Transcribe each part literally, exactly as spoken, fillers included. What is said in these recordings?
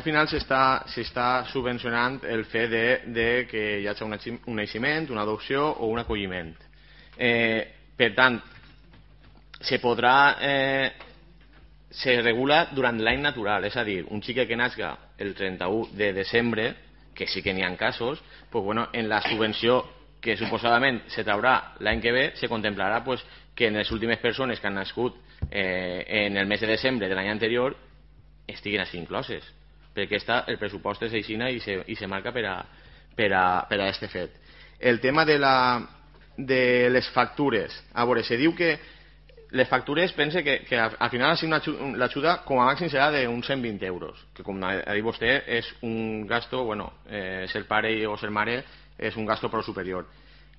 Al final s'està subvencionant el fet de, de que hi hagi un, un naixement, una adopció o un acolliment. Eh, per tant, se podrà eh, se regula durant l'any natural, és a dir, un xiquet que nasca el trenta-u de desembre, que sí que n'hi ha casos, pues bueno, en la subvenció que suposadament se traurà l'any que ve, se contemplarà pues, que en les últimes persones que han nascut eh, en el mes de desembre de l'any anterior estiguin així incloses, perquè està, el pressupost és així i se, i se marca per a, per a, per a este fet. El tema de, la, de les factures, a veure, se diu que les factures, pense que, que al final l'ajuda com a màxim serà d'uns cent vint euros, que com ha dit vostè és un gasto, bueno, eh, ser pare o ser mare és un gasto prou superior.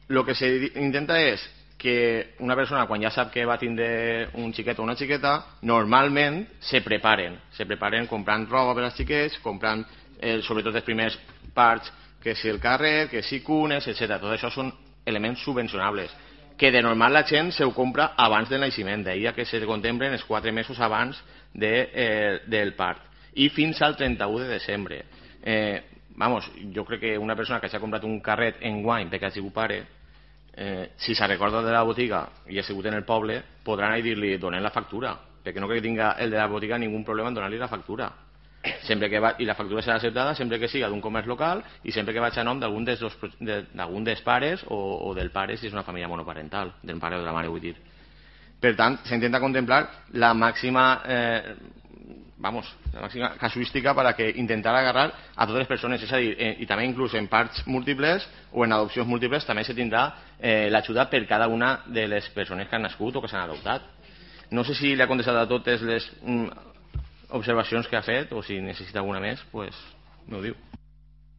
El que s'intenta és que una persona, quan ja sap que va tindre un xiquet o una xiqueta, normalment se preparen, se preparen comprant roba per als xiquets, comprant eh, sobretot els primers parts, que si el carrer, que si cunes, etcètera. Tot això són elements subvencionables, que de normal la gent se ho compra abans del naixement, d'ahir que se contemplen els quatre mesos abans de, eh, del part, i fins al trenta-u de desembre. Eh, vamos, jo crec que una persona que s'ha comprat un carret en guany perquè ha sigut pare, eh, si se recorda de la botiga i ha sigut en el poble, podran anar i dir-li donem la factura, perquè no crec que tinga el de la botiga ningun problema en donar-li la factura, sempre que va, i la factura serà acceptada sempre que siga d'un comerç local i sempre que vagi a nom d'algun dels, de, dels pares o, o del pare si és una família monoparental, del pare o de la mare, vull dir. Per tant, s'intenta contemplar la màxima eh, vamos, la màxima casuística per a que intentar agarrar a totes les persones, és a dir, eh, i també inclús en parts múltiples o en adopcions múltiples també se tindrà eh, l'ajuda per cada una de les persones que han nascut o que s'han adoptat. No sé si li ha contestat a totes les mm, observacions que ha fet o si necessita alguna més, pues, m'ho diu.